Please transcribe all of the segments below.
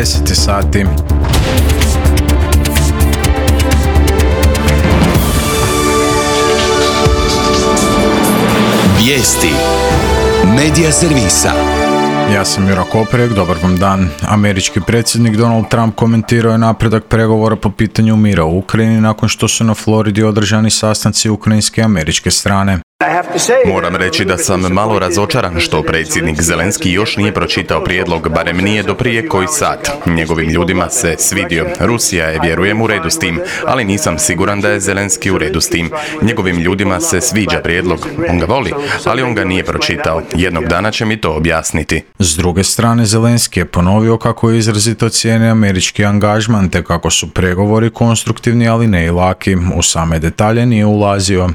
10 sati. Vijesti Medija servisa. Ja sam Jura Koprek, dobar vam dan. Američki predsjednik Donald Trump komentirao je napredak pregovora po pitanju mira u Ukrajini nakon što su na Floridi održani sastanci ukrajinske i američke strane. Moram reći da sam malo razočaran što predsjednik Zelenski još nije pročitao prijedlog, barem nije do prije koji sat. Njegovim ljudima se svidio. Rusija je, vjerujem, u redu s tim, ali nisam siguran da je Zelenski u redu s tim. Njegovim ljudima se sviđa prijedlog. On ga voli, ali on ga nije pročitao. Jednog dana će mi to objasniti. S druge strane, Zelenski je ponovio kako je izrazito cijeni američki angažman te kako su pregovori konstruktivni, ali ne i laki. U same detalje nije ulazio.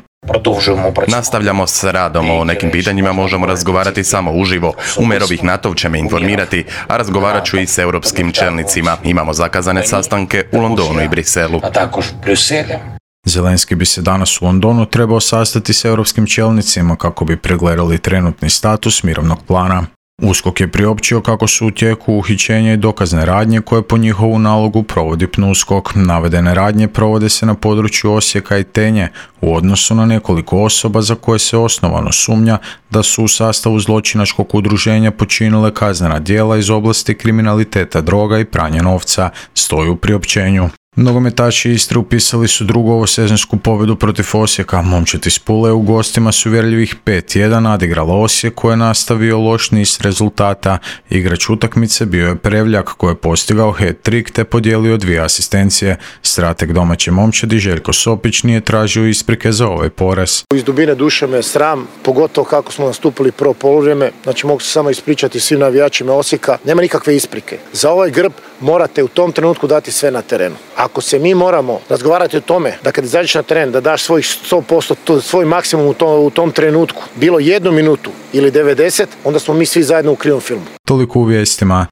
Nastavljamo s radom, o nekim pitanjima možemo razgovarati samo uživo. Umerovih NATO će me informirati, a razgovarat ću i s europskim čelnicima. Imamo zakazane sastanke u Londonu i Briselu. Zelenski bi se danas u Londonu trebao sastati s europskim čelnicima kako bi pregledali trenutni status mirovnog plana. USKOK je priopćio kako su u tijeku uhićenja i dokazne radnje koje po njihovu nalogu provodi PNUSKOK. Navedene radnje provode se na području Osijeka i Tenje u odnosu na nekoliko osoba za koje se osnovano sumnja da su u sastavu zločinačkog udruženja počinile kaznena djela iz oblasti kriminaliteta droga i pranja novca, stoji u priopćenju. Nogometaši Istre upisali su drugu ovosezonsku pobjedu protiv Osijeka. Momčad iz Pule u gostima su uvjerljivih 5-1 nadigrala Osijek koji je nastavio loš niz rezultata. Igrač utakmice bio je Prevljak koji je postigao hat-trick te podijelio 2 asistencije. Strateg domaće momčadi Željko Sopić nije tražio isprike za ovaj poraz. Iz dubine duše me sram, pogotovo kako smo nastupili prvo poluvrijeme. Znači mogu se samo ispričati svim navijačima Osijeka. Nema nikakve isprike. Za ovaj grb morate u tom trenutku dati sve na terenu. Ako se mi moramo razgovarati o tome da kad izađeš na teren da daš svojih 100%, svoj maksimum u tom trenutku, bilo 1 minutu ili 90, onda smo mi svi zajedno u krivom filmu. Toliko u vijestima.